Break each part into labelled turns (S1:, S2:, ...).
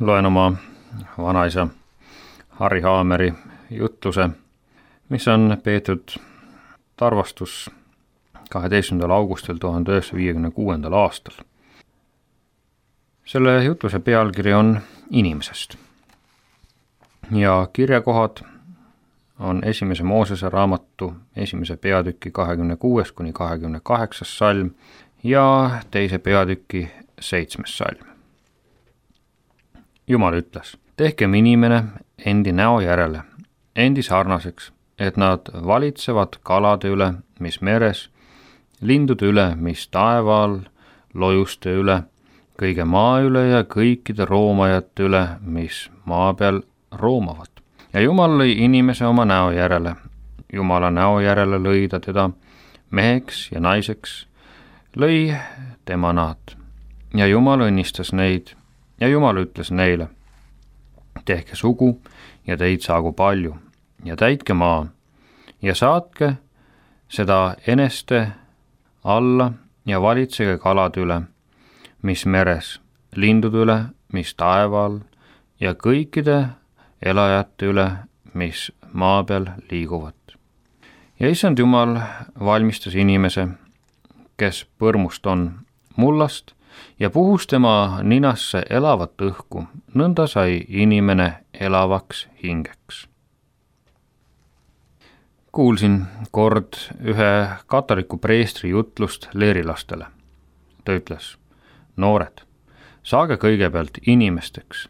S1: loen oma vanaisa Harri Haameri jutluse, mis on peetud Tarvastus 12. augustil 1956. aastal. Selle jutluse pealkiri on Inimesest ja kirjakohad on esimese Moosese raamatu esimese peatüki 26-28 salm ja teise peatüki 7. salm. Jumal ütles, tehkem inimene endi näo järele, endi sarnaseks, et nad valitsevad kalade üle, mis meres, lindude üle, mis taeva all, lojuste üle, kõige maa üle ja kõikide roomajate üle, mis maa peal roomavad. Ja Jumal lõi inimese oma näo järele. Jumala näo järele lõi ta teda meheks ja naiseks, lõi tema nad. Ja Jumal õnnistas neid ja Jumal ütles neile, tehke sugu ja teid saagu palju ja täitke maa ja saatke seda eneste alla ja valitsege kalade üle, mis meres, lindude üle, mis taeva all ja kõikide elajate üle, mis maa peal liiguvad. Ja Issand Jumal valmistas inimese, kes põrmust on, mullast ja puhus tema ninasse elavat õhku, nõnda sai inimene elavaks hingeks. Kuulsin kord ühe katoliku preestri jutlust leerilastele. Ta ütles, noored, saage kõigepealt inimesteks,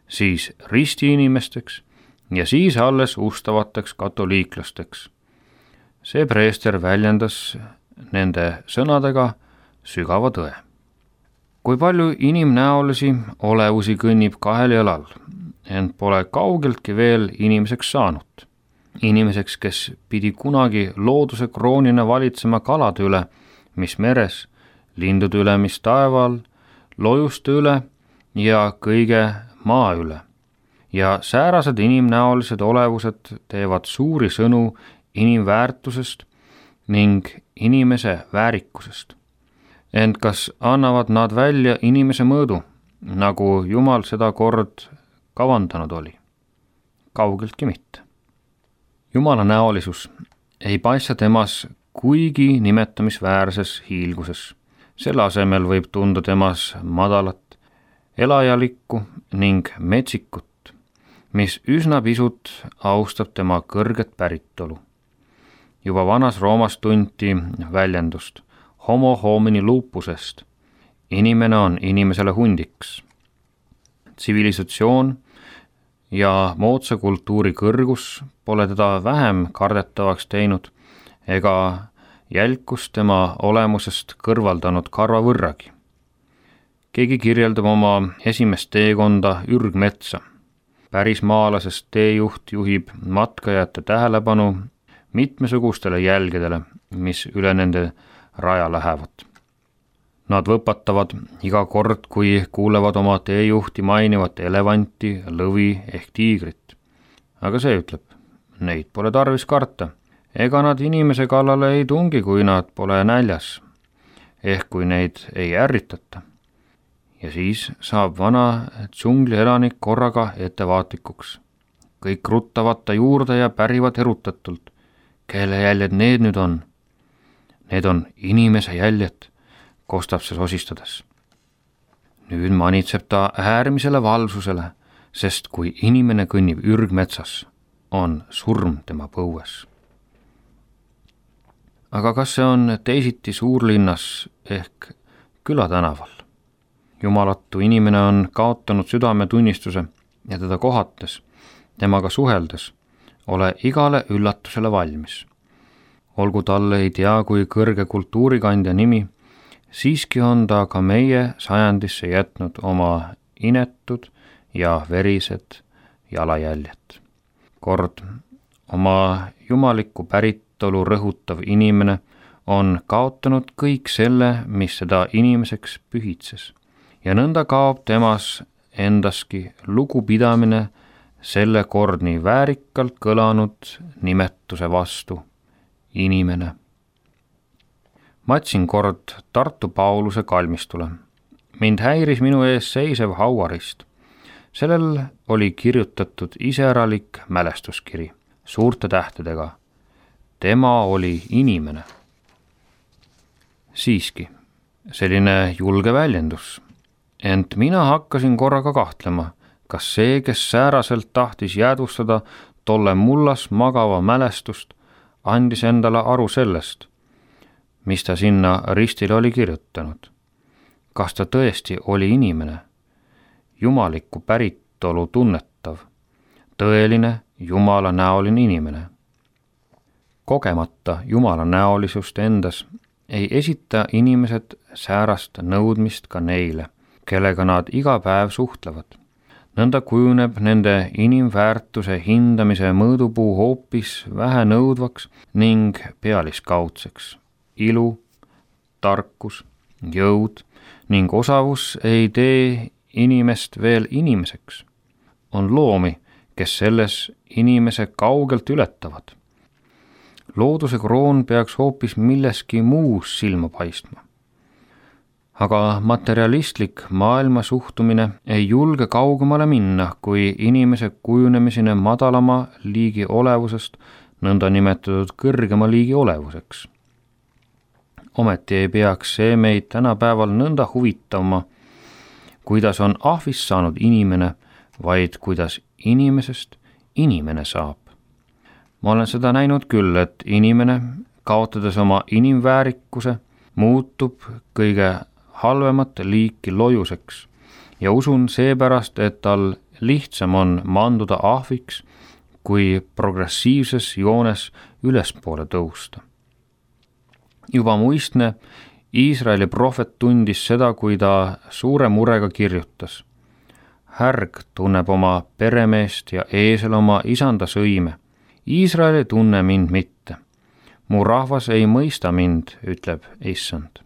S1: siis ristiinimesteks ja siis alles ustavateks katoliiklasteks. See preester väljendas nende sõnadega sügava tõe. Kui palju inimnäolisi olevusi kõnnib kahel jalal, ent pole kaugeltki veel inimeseks saanud. Inimeseks, kes pidi kunagi looduse kroonina valitsema kalade üle, mis meres, lindude üle, mis taeval, lojuste üle ja kõige maa üle. Ja säärased inimnäolised olevused teevad suuri sõnu inimväärtusest ning inimese väärikusest. Ent kas annavad nad välja inimese mõõdu, nagu Jumal seda kord kavandanud oli? Kaugeltki mitte. Jumala näolisus ei paista temas kuigi nimetamisväärses hiilguses. Selle asemel võib tunda temas madalat, elajalikku ning metsikut, mis üsna pisut austab tema kõrget päritolu. Juba vanas Roomas tunti väljendust homo homini lupusest. Inimene on inimesele hundiks. Tsivilisatsioon ja moodsa kultuuri kõrgus pole teda vähem kardetavaks teinud ega jälkust tema olemusest kõrvaldanud karva võrragi. Keegi kirjeldab oma esimest teekonda ürgmetsa. Pärismaalasest teejuht juhib matkajate tähelepanu mitmesugustele jälgedele, mis üle nende raja lähevad. Nad võpatavad iga kord, kui kuulevad oma teejuhti mainivat elevanti, lõvi ehk tiigrit. Aga see ütleb, neid pole tarvis karta. Ega nad inimese kallale ei tungi, kui nad pole näljas, ehk kui neid ei ärritata. Ja siis saab vana džungli elanik korraga ettevaatlikuks. Kõik ruttavad ta juurde ja pärivad erutatult. Kelle jäljed need nüüd on? Need on inimese jäljed, kostab see sosistades. Nüüd manitseb ta äärmisele valvsusele, sest kui inimene kõnnib ürgmetsas, on surm tema põues. Aga kas see on teisiti suurlinnas ehk külatänaval? Jumalatu inimene on kaotanud südametunnistuse ja teda kohates, temaga suheldes, ole igale üllatusele valmis. Olgu talle ei tea kui kõrge kultuurikandja nimi, siiski on ta ka meie sajandisse jätnud oma inetud ja verised jalajäljed. Kord oma jumalikku päritolu rõhutav inimene on kaotanud kõik selle, mis seda inimeseks pühitses. Ja nõnda kaob temas endaski lugupidamine selle kord nii väärikalt kõlanud nimetuse vastu, inimene. Matsin kord Tartu Pauluse kalmistule. Mind häiris minu ees seisev hauarist. Sellel oli kirjutatud iseäralik mälestuskiri suurte tähtedega. Tema oli inimene. Siiski, selline julge väljendus. Ent mina hakkasin korraga kahtlema, kas see, kes sääraselt tahtis jäädvustada tolle mullas magava mälestust, andis endale aru sellest, mis ta sinna ristile oli kirjutanud. Kas ta tõesti oli inimene, jumalikku päritolu tunnetav, tõeline Jumala näoline inimene? Kogemata Jumala näolisust endas ei esita inimesed säärast nõudmist ka neile, kellega nad iga päev suhtlevad. Nõnda kujuneb nende inimväärtuse hindamise mõõdupuu hoopis vähe nõudvaks ning pealiskaudseks. Ilu, tarkus, jõud ning osavus ei tee inimest veel inimeseks. On loomi, kes selles inimese kaugelt ületavad. Looduse kroon peaks hoopis milleski muus silma paistma. Aga materialistlik maailma suhtumine ei julge kaugemale minna, kui inimese kujunemisena madalama liigi olevusest nõnda nimetatud kõrgema liigi olevuseks. Ometi ei peaks see meid tänapäeval nõnda huvitama, kuidas on ahvist saanud inimene, vaid kuidas inimesest inimene saab. Ma olen seda näinud küll, et inimene, kaotades oma inimväärikuse, muutub kõige halvemat liiki lojuseks ja usun seepärast, et tal lihtsam on manduda ahviks, kui progressiivses joones ülespoole tõusta. Juba muistne Iisraeli prohvet tundis seda, kui ta suure murega kirjutas. Härg tunneb oma peremeest ja eesel oma isanda sõime. Iisrael ei tunne mind mitte. Mu rahvas ei mõista mind, ütleb Issand.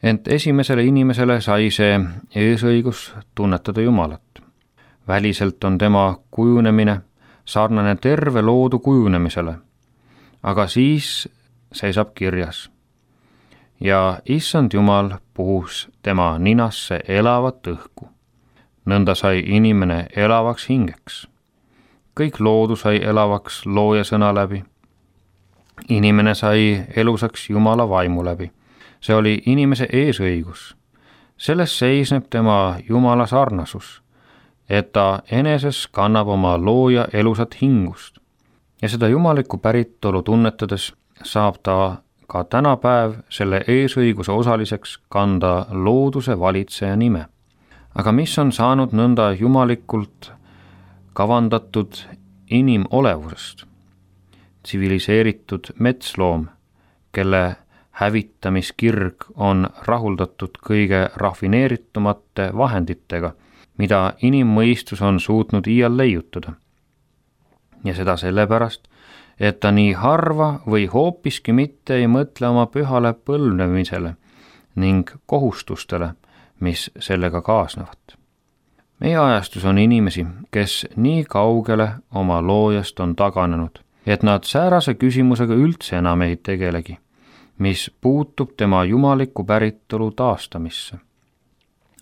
S1: Ent esimesele inimesele sai see eesõigus tunnetada Jumalat. Väliselt on tema kujunemine sarnane terve loodu kujunemisele, aga siis seisab kirjas. Ja Issand Jumal puhus tema ninasse elavat õhku. Nõnda sai inimene elavaks hingeks. Kõik loodu sai elavaks looja sõna läbi. Inimene sai elusaks Jumala vaimu läbi. See oli inimese eesõigus. Selles seisneb tema Jumala sarnasus, et ta eneses kannab oma looja elusat hingust. Ja seda jumalikku päritolu tunnetades saab ta ka tänapäev selle eesõiguse osaliseks kanda looduse valitseja nime. Aga mis on saanud nõnda jumalikult kavandatud inimolevusest? Tsiviliseeritud metsloom, kelle hävitamiskirg on rahuldatud kõige rafineeritumate vahenditega, mida inimmõistus on suutnud iial leiutada. Ja seda sellepärast, et ta nii harva või hoopiski mitte ei mõtle oma pühale põlvnemisele ning kohustustele, mis sellega kaasnevad. Meie ajastus on inimesi, kes nii kaugele oma loojast on taganenud, et nad säärase küsimusega üldse enam ei tegelegi, mis puutub tema jumalikku päritolu taastamisse.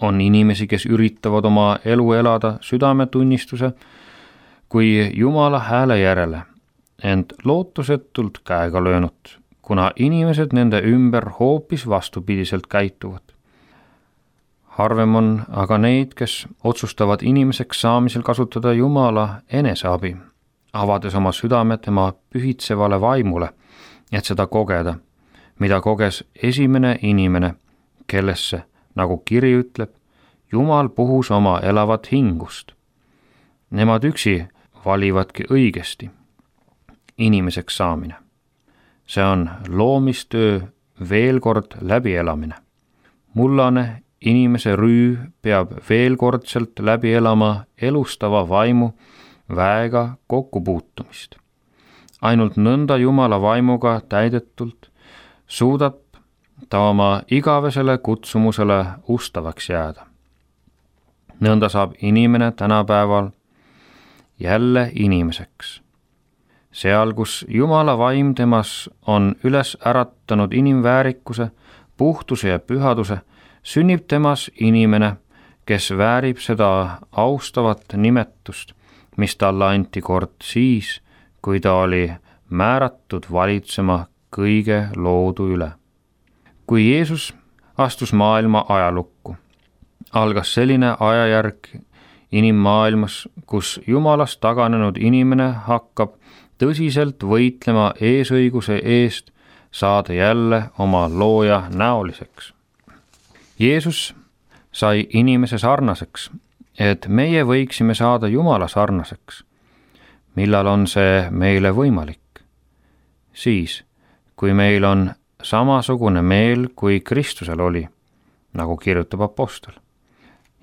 S1: On inimesi, kes üritavad oma elu elada südametunnistuse kui Jumala hääle järele, ent lootusetult käega löönud, kuna inimesed nende ümber hoopis vastupidiselt käituvad. Harvem on aga neid, kes otsustavad inimeseks saamisel kasutada Jumala eneseabi, avades oma südame tema pühitsevale vaimule, et seda kogeda, mida koges esimene inimene, kellesse, nagu kiri ütleb, Jumal puhus oma elavat hingust. Nemad üksi valivadki õigesti. Inimeseks saamine. See on loomistöö veel kord läbielamine. Mullane inimese rüü peab veel kordselt läbi elama elustava vaimu väega kokkupuutumist. Ainult nõnda Jumala vaimuga täidetult suudab ta oma igavesele kutsumusele ustavaks jääda. Nõnda saab inimene tänapäeval jälle inimeseks. Seal, kus Jumala vaim temas on üles äratanud inimväärikuse, puhtuse ja pühaduse, sünnib temas inimene, kes väärib seda austavat nimetust, mis talle anti kord siis, kui ta oli määratud valitsema kõige loodu üle. Kui Jeesus astus maailma ajalukku, algas selline ajajärk inimmaailmas, kus Jumalast taganenud inimene hakkab tõsiselt võitlema eesõiguse eest saada jälle oma looja näoliseks. Jeesus sai inimese sarnaseks, et meie võiksime saada Jumala sarnaseks. Millal on see meile võimalik? Siis, kui meil on samasugune meel, kui Kristusel oli, nagu kirjutab apostel.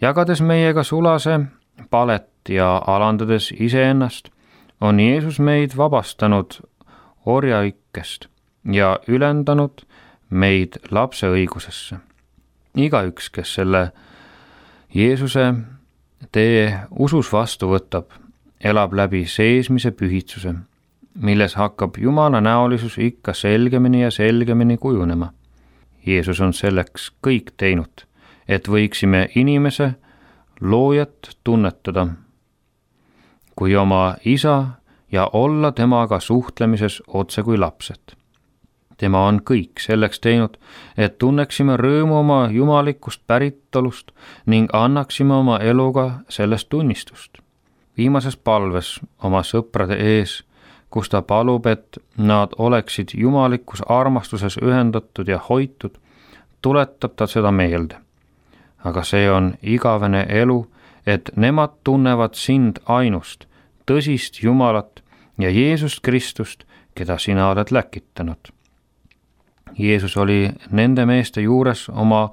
S1: Jagades meiega sulase palet ja alandades iseennast, on Jeesus meid vabastanud orjaikkest ja ülendanud meid lapse õigusesse. Igaüks, kes selle Jeesuse tee usus vastu võtab, elab läbi seesmise pühitsuse, milles hakkab Jumala näolisus ikka selgemini ja selgemini kujunema. Jeesus on selleks kõik teinud, et võiksime inimese loojat tunnetada kui oma isa ja olla temaga suhtlemises otse kui lapsed. Tema on kõik selleks teinud, et tunneksime rõõmu oma jumalikust päritolust ning annaksime oma eluga sellest tunnistust. Viimases palves oma sõprade ees, kus ta palub, et nad oleksid jumalikus armastuses ühendatud ja hoitud, tuletab ta seda meelde. Aga see on igavene elu, et nemad tunnevad sind ainust, tõsist Jumalat ja Jeesust Kristust, keda sina oled läkitanud. Jeesus oli nende meeste juures oma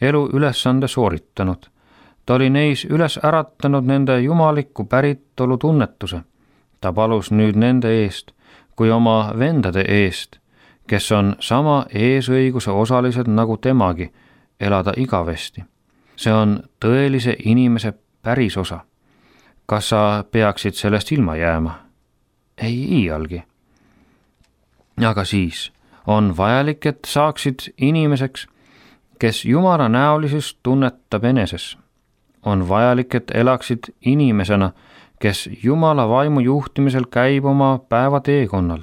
S1: elu ülesande sooritanud. Ta oli neis üles äratanud nende jumalikku päritolu tunnetuse. Ta palus nüüd nende eest kui oma vendade eest, kes on sama eesõiguse osalised nagu temagi, elada igavesti. See on tõelise inimese päris osa. Kas sa peaksid sellest ilma jääma? Ei iialgi. Aga siis on vajalik, et saaksid inimeseks, kes Jumala näolisust tunnetab eneses. On vajalik, et elaksid inimesena, kes Jumala vaimu juhtimisel käib oma päeva teekonnal.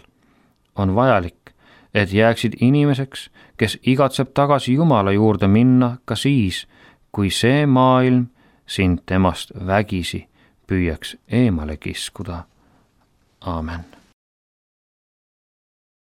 S1: On vajalik, et jääksid inimeseks, kes igatseb tagasi Jumala juurde minna ka siis, kui see maailm sind temast vägisi püüaks eemale kiskuda. Aamen.